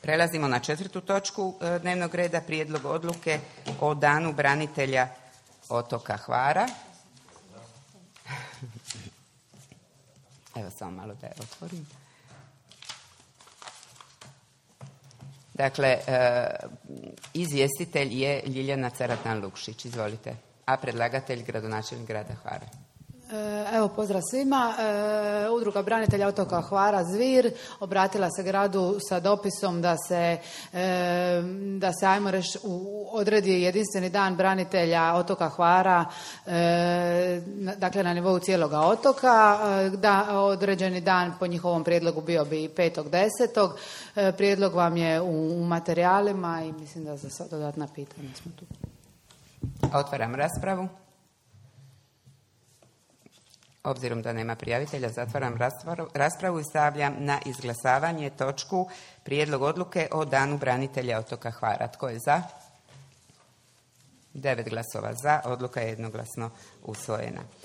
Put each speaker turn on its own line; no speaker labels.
Prelazimo na 4. točku dnevnog reda, prijedlog odluke o danu branitelja otoka Hvara. Evo samo malo da je otvorim. Dakle, izvjestitelj je Ljiljana Caratan-Lukšić. Izvolite. A predlagatelj gradonačelnik grada Hvara.
Evo, pozdrav svima. Udruga branitelja otoka Hvara Zvir obratila se gradu sa dopisom da se ajmo reći odredi jedinstveni dan branitelja otoka Hvara, dakle na nivou cijeloga otoka. Da, određeni dan po njihovom prijedlogu bio bi 5.10. Prijedlog vam je u materijalima i mislim da za dodatna pitanja smo tu.
Otvaram raspravu. Obzirom da nema prijavitelja, zatvaram raspravu i stavljam na izglasavanje točku prijedlog odluke o danu branitelja otoka Hvara. Tko je za? 9 glasova za. Odluka je jednoglasno usvojena.